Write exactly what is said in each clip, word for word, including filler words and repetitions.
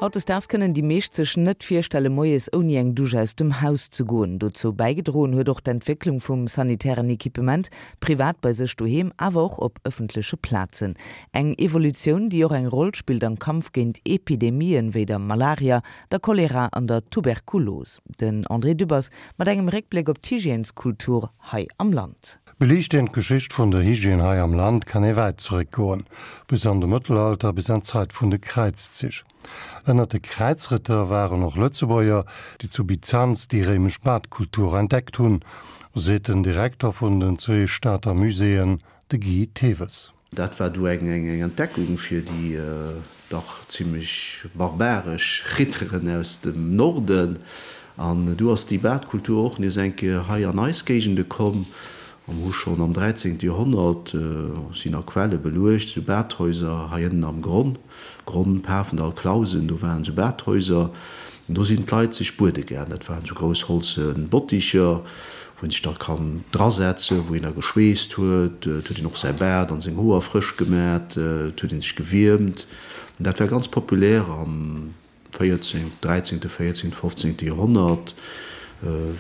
Hautdesdaags kënnen déi meescht sech net virstelle moies ouni eng Dusch aus dem Haus ze goen. Dozou bäigedroen huet och d'Entwécklung vum sanitären Equipement, privat bei sech doheem, awer och op ëffentleche Plazen. Eng Evolutioun, déi och eng Roll spillt am Kampf géint Epidemien, wéi der Malaria, der Cholera an der Tuberkulos. Den André Dübbers mat engem Réckbléck op d'Hygièneskultur hei am Land. Beliicht een d'Geschicht vun der Hygiène hei am Land, kann ee wäit zeréckgoen, bis an de Mëttelalter, bis an d'Zäit vun de Kräizzich. Ënnert de Kräizrëtter waren och Lëtzebuerger, déi zu Byzanz déi réimesch Badkultur entdeckt hunn, seet den Direkter vun den zwee Stater Muséeën, de Guy Thewes. Dat war du eng Entdeckung fir déi dach zimmlech barbaresch Ritteren aus dem Norden. An du ass déi Badkultur och nees eng Kéier hei an eis Géigende komm. A mer hu schonn am dräizéngte Joerhonnert, sinn a Quelle beluecht, esou Badhäuser hei ënnen am Gronn, Gronn, Pafendall, Clausen, do waren esou Badhäuser. An do sinn d'Leit sech buede gaang. Dat waren esou grouss holze Botticher, wou een sech da kann drasetzen, wou een da geschweesst huet. Et huet een och säi Baart an seng Hoer frësch gemat, et huet ee sech gewiermt. An dat war ganz populär am véierzéngt, dräizéngte, véierzéngte, fofzéngte Joerhonnert,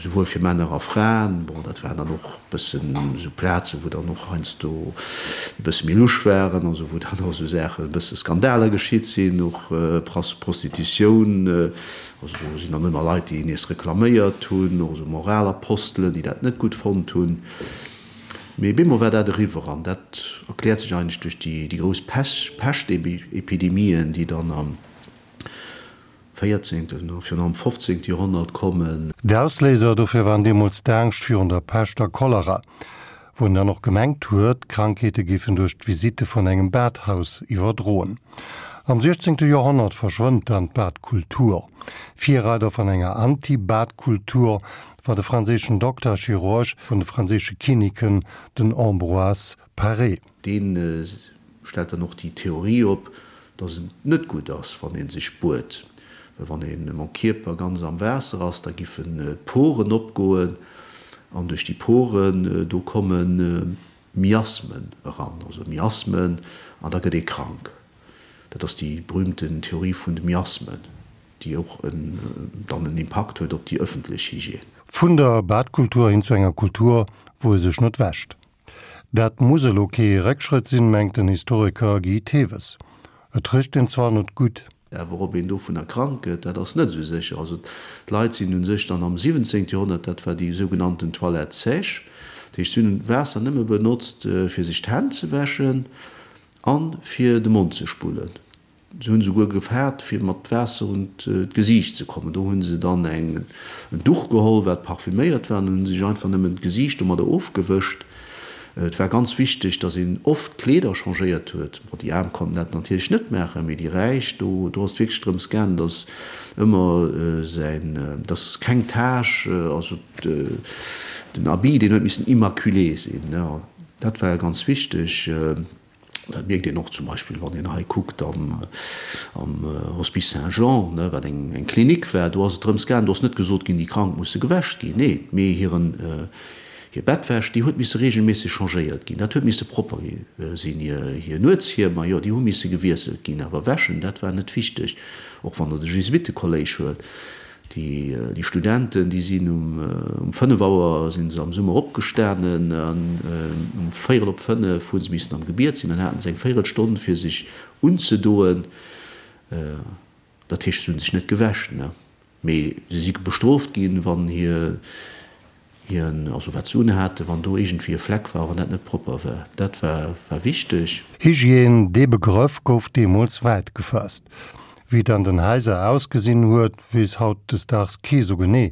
souwuel fir Männer a Fraen. Bon, dat waren dann och e bëssen esou Plazen, wou dann och heiansdo e bësse méi lusch waren, also wou dann och esou Saachen, e bësse Skandaler geschitt sinn, och Prostitutioun. Also do sinn dann ëmmer Leit, déi nees reklaméiert hunn, och esou Moralapostelen, déi dat net gutt fonnt hunn. Mee bemol war dat eriwwer an dat erkläert sech eigentlech duerch déi grouss Peschtepidemien, déi dann am véierzéngten a virun allem fofzéngte Joerhonnert kommen. D'Ausléiser dofir waren deemools d'Angscht virun der Pescht a Cholera, wou een dann och gemengt huet, d'Krankheete géifen duerch d'Visitte vun engem Badhaus iwwerdroen. Am siechzéngte Joerhonnert verschwënnt dann d'Badkultur. Virreider vun enger Anti-Bad-Kultur war de franséischen Dokter a Chirurg vun de franséische Kinniken, den Ambroise Paré. Dee stellt dann och déi Theorie op, dass et net gutt ass, wann ee sech buet, well wann ee mam Kierper ganz am Waasser ass, da giffen d'Poren opgoen an duerch déi Poren do komme Miasmen eran, also Miasmen, an da gëtt ee krank. Dat ass déi berühmten Theorie vun de Miasmen, déi och dann en Impakt huet op déi ëffentlech Hygiène. Vun der Badkultur hin zu enger Kultur, wou ee sech net wäscht. Dat muss elo kee Réckschrëtt sinn, mengt den Historiker Guy Thewes. Et richt een zwar net gutt. Awer ob een dovunner krank gëtt, dat ass net esou sécher. Also d'Leit sinn u sech dann am siwwenzéngte Joerhonnert, dat war déi sougenannten Toilette sèche, dat heescht si hunn d'Waasser nëmme benotzt fir sech d'Hänn ze wäschen a fir de Mond ze spullen. Se hunn esouguer gefaart, fir mat Waasser un d'Gesiicht ze kommen. Do hu se dann en Duch geholl, wat parfüméiert war, an hunn sech einfach nëmmen d'Gesiicht domadder ofgewëscht. Et war ganz wichteg, datt een oft d'Kleeder changéiert huet. Bon, déi Aarm konnten dat natierlech net maachen, mee déi Räich, do, do ass et wierklech drëms gaangen, datt ëmmer säin, datt keng Tache, also den Habit, deen huet missen immaculé sinn. Dat war ganz wichteg. Dat mierkt een och zum Beispill, wann een hei kuckt am Hospice Saint-Jean, wat eng Klinik war, do ass et drëms gaangen, do ass net gesot ginn, déi Krank musse gewäsch ginn, nee, mee hiren, hir Bettwäsch, déi huet misse reegelméisseg changéiert ginn, dat huet misse propper sinn, hir Nuetshiemer, jo, déi hu misse gewiesselt ginn, awer wäschen, dat war net wichteg. Och wann Der de Jesuittekolléisch huelt, Déi Studenten, déi sinn um fënnef Auer si se am Summer opgestanen an um véierel op fënnef hu se missen am Gebiet sinn. Dann haten se eng Véierelstonn fir sech unzedoen. Dat heescht, se hu sech net gewäsch, mee se si bestrooft ginn, wann hir Hien, also wat se unhaten, wann do iergendwéi e Fleck war, wann dat net propper war, dat war war wichteg. Hygiène, dee Begrëff gouf deemools wäit gefaasst. Wéi et an den Haiser ausgesinn huet, weess hautdesdaags kee sou genee.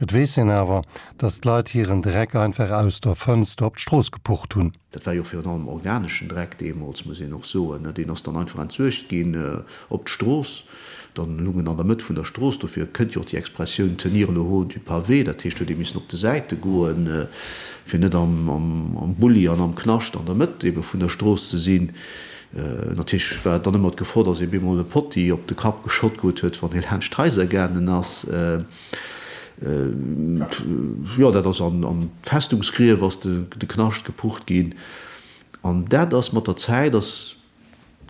Et weess een awer, datt d'Leit hiren Dreck einfach aus der Fënster op d'Strooss gepucht hunn. Dat war jo virun allem organeschen Dreck deemools, muss een och soen. Deen ass dann einfach entsuergt ginn op d'Strooss. Dann lung en an der Mëtt vun der Strooss. Dofir kënnt jo och déi Expressioun tenir le haut du pavé. Dat heescht, huet ee missen op de Säite goen, fir net am Bulli an am Knascht an der Mëtt ebe vun der Strooss ze sinn. Natierlech war dann ëmmer d'Gefor, datt ee bemol e Potti op de Kapp geschott krut huet, wann ee laanscht d'Haiser gaangen ass. Jo, dat ass an d'Festungsgrief ass de Knascht gepucht ginn. An dat ass mat der Zäit ass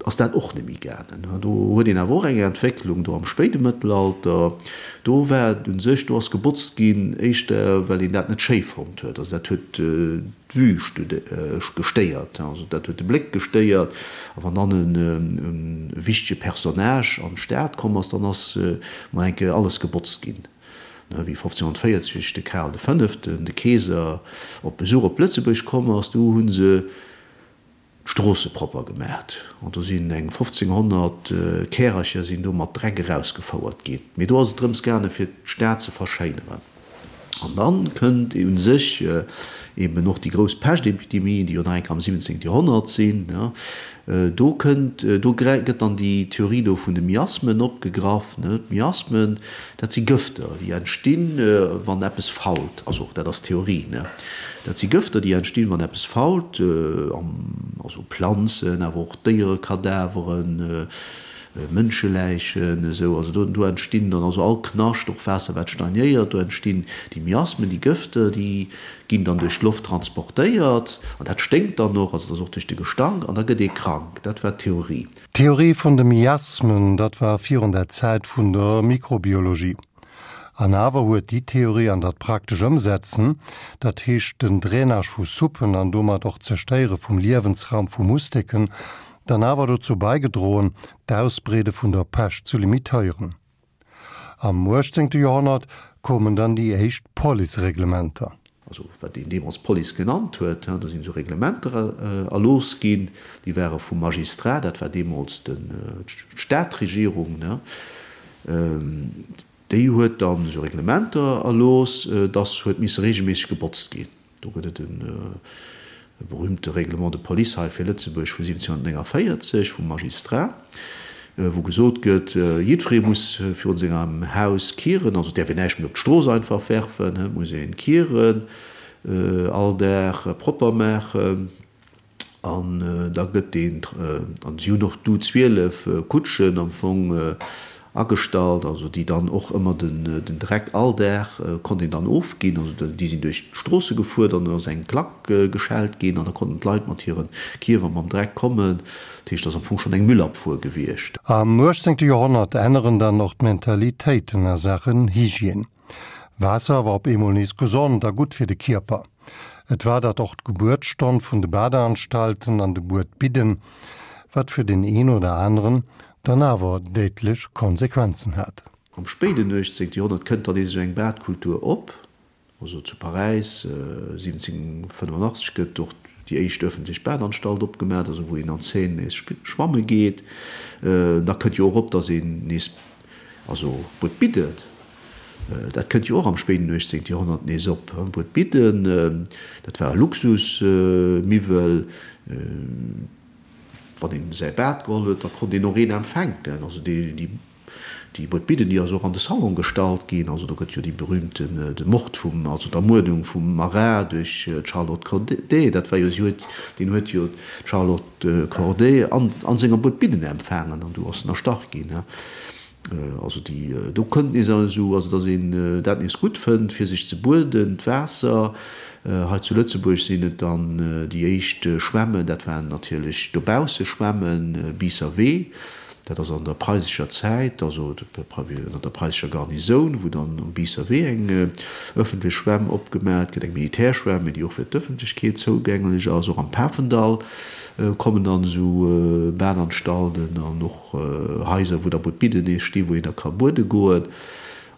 ass dat och net méi gaangen. Do huet een awer och eng Entwécklung do am spéide Mëttelalter. Do war et u sech, do ass gebotzt ginn, éischter well een dat net schéi fonnt huet. Also dat huet d'Vue gestéiert, also dat huet de Bléck gestéiert. A wann dann e wichtege Personnage an d'Stad komm ass, dann ass mol eng Kéier alles gebotzt ginn. Wéi fofzénhonnertvéierzeg de Karl de Fënneften, de Keeser, op Besuch op Lëtzebuerg komm ass, du hu se d'Stroosse propper gemaacht an do sinn eng fofzénghonnert Kärercher sinn do mat Dreck erausgefouert ginn. Mee do ass et drëms gaange fir d'Stad ze verschéineren. An dann kënnt u sech eben och déi grouss Peschtepidemie, déi jo nach eng Kéier am siwwenzéngte Joerhonnert sinn. Do kënnt, do gëtt dann déi Theorie do vun de Miasmen opgegraff. D'Miasmen, dat si Gëfter, déi entstinn, wann eppes fault. Also dat ass d'Theorie. Dat si Gëfter, déi entstinn, wann eppes fault, also Planzen, awer och Déierekadaveren, Mënscheläichen, esou. Also do, do entstinn dann also all Knascht, och Waasser, wat stagnéiert, do entstinn déi Miasmen, déi Gëfter, déi ginn dann duerch d'Loft transportéiert an dat sténkt dann och, also dat ass och duerch de Gestank an da gëtt ee krank. Dat war d'Theorie. D'Theorie vun de Miasmen, dat war virun der Zäit vun der Mikrobiologie. An awer huet déi Theorie an dat praktesch Ëmsetzen, dat heescht den Drainage vu Suppen an domat och d'Zerstéiere vum Liewensraum vu Musteken, dann awer dozou baigedroen, d'Ausbreede vun der Pescht zu limitéieren. Am uechtzéngte Joerhonnert koumen dann déi éischt Policereglementer. Also wat een deemools Police genannt huet, do sinn esou Reglementer erlooss ginn, déi ware vum Magistrat, dat war deemools d'Stadregierung, déi huet dann esou Reglementer erlooss, dass huet misse reegelméisseg gebotzt ginn. Do gëtt et e berühmte Règlement de police hei fir Lëtzebuerg vu siwwenzénhunnertnénganvéierzeg vum Magistrat, wou gesot gëtt, jiddweree muss virun sengem Haus kieren, also et däerf een näischt méi op d'Strooss einfach werfen, et muss een kieren, all Dag propper maachen. An da gëtt deen, an si hunn och du zwielef Kutschen am Fong agestallt, also déi dann och ëmmer den Dreck all Dag konnt een dann ofginn, also déi sinn duerch d'Stroosse gefuer, dann ass eng Klack geschellt ginn an da konnten d'Leit mat hire Kierwer mam Dreck kommen. Dat heescht, dat ass am Fong schonn eng Müllabfuhr gewiescht. Am uechtzéngte Joerhonnert änneren dann och d'Mentalitéiten a Saachen Hygiène. Waasser war op eemol nees gesond a gutt fir de Kierper. Et war dat och d'Gebuertsstonn vun de Badeanstalten an de Buedbidden, wat fir deen een oder aneren dann awer déidlech Konsequenzen hat. Am spéiden uechtzéngte Joerhonnert kënnt dann nees esou eng Badkultur op. Also zu Paräis siwwenzénhunnertfënnefenachtzeg gëtt och déi éischt ëffentlech Badanstalt opgemaach, also wou een an d'Seine nees schwamme geet. Da kënnt jo och op, datt een nees also Buedbidden, dat kënnt jo och am spéiden uechtzéngte Joerhonnert nees op. Buedbidden, dat war e Luxusmiwwel. Wann een säi Bad geholl huet, da konnt een och een empfänken. Also déi déi Buedbidden, déi ass och an de Salon gestallt ginn. Also do gëtt jo déi berühmten, de Mord vum, also d'Ermuerdung vum Marat duerch d'Charlotte Corday, dat war jo, si huet, deen huet jo d'Charlotte Corday an an senger Buedbidden empfaangen an du ass en erstach ginn. Also déi, do kënnt nees esou, also datt een dat nees gutt fënnt, fir sech ze bueden, d'Waasser. Hei zu Lëtzebuerg sinn et dann déi éischt Schwämmen, dat waren natierlech dobausse Schwämmen, Biisser Wee, dat ass an der preisescher Zäit, also ënner der preisescher Garnisoun, wou dann um Biisser Wee eng ëffentlech Schwämm opgemaat gëtt, eng Militärschwämm, mee déi och fir d'Ëffentlechkeet zougänglech ass. Och am Pafendall kommen dann esou Badanstalten an och Haiser, wou da Buedbidden nees stinn, wou een da ka buede goen.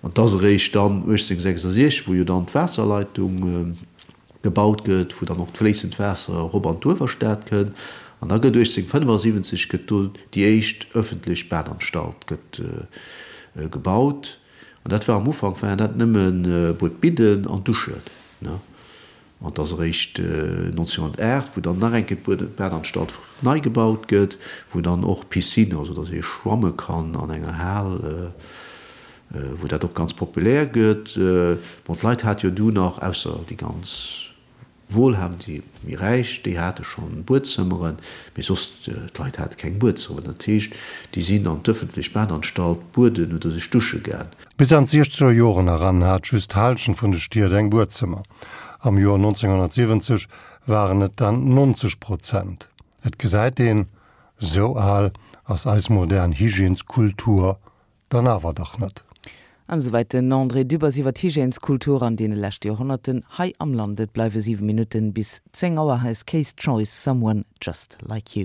An et ass eréischt dann uechtzénhunnertsechsasechzeg, wou jo dann d'Waasserleitung gebaut gëtt, wou dann och d'fléissend Waasser erop an d'Uewerstad kënn. An da gëtt uechtzénhunnertfënnefasiwwenzeg gëtt do déi éischt ëffentlech Badanstalt gëtt gebaut. An dat war am Ufank waren dat nëmme Buedbidden an Duschen. An et ass eréischt neunzehnhunnertaacht, wou dann nach eng Kéier d'Badanstalt nei gebaut gëtt, wou dann och Piscine, also datt ee schwamme kann an enger Hal, wou dat och ganz populär gëtt. Bon, d'Leit hate jo du nach, ausser déi ganz Wohlhabend, déi méi Räich, déi hate schonn Buedzëmmeren, mee soss, d'Leit hate keng Buedzëmmeren. Dat heescht, déi sinn an d'ëffentlech Badanstalt bueden oder sech dusche gaang. Bis an d'siechzeger Joren eran hat just d'Hallschent vun de Stied eng Buedzëmmer. Am Joer neunzehnhunnertsiwwenzeg waren et dann neunzeg Prozent. Et gesäit een, Sou al ass eis modern Hygièneskultur dann awer dach net. An esouwäit den André Dübbers iwwer d'Hygièneskultur an deene leschte Joerhonnerten hei am Land. Et bleiwe siwe Minutten bis zéng Auer. Hei ass K's Choice, Someone Just Like You.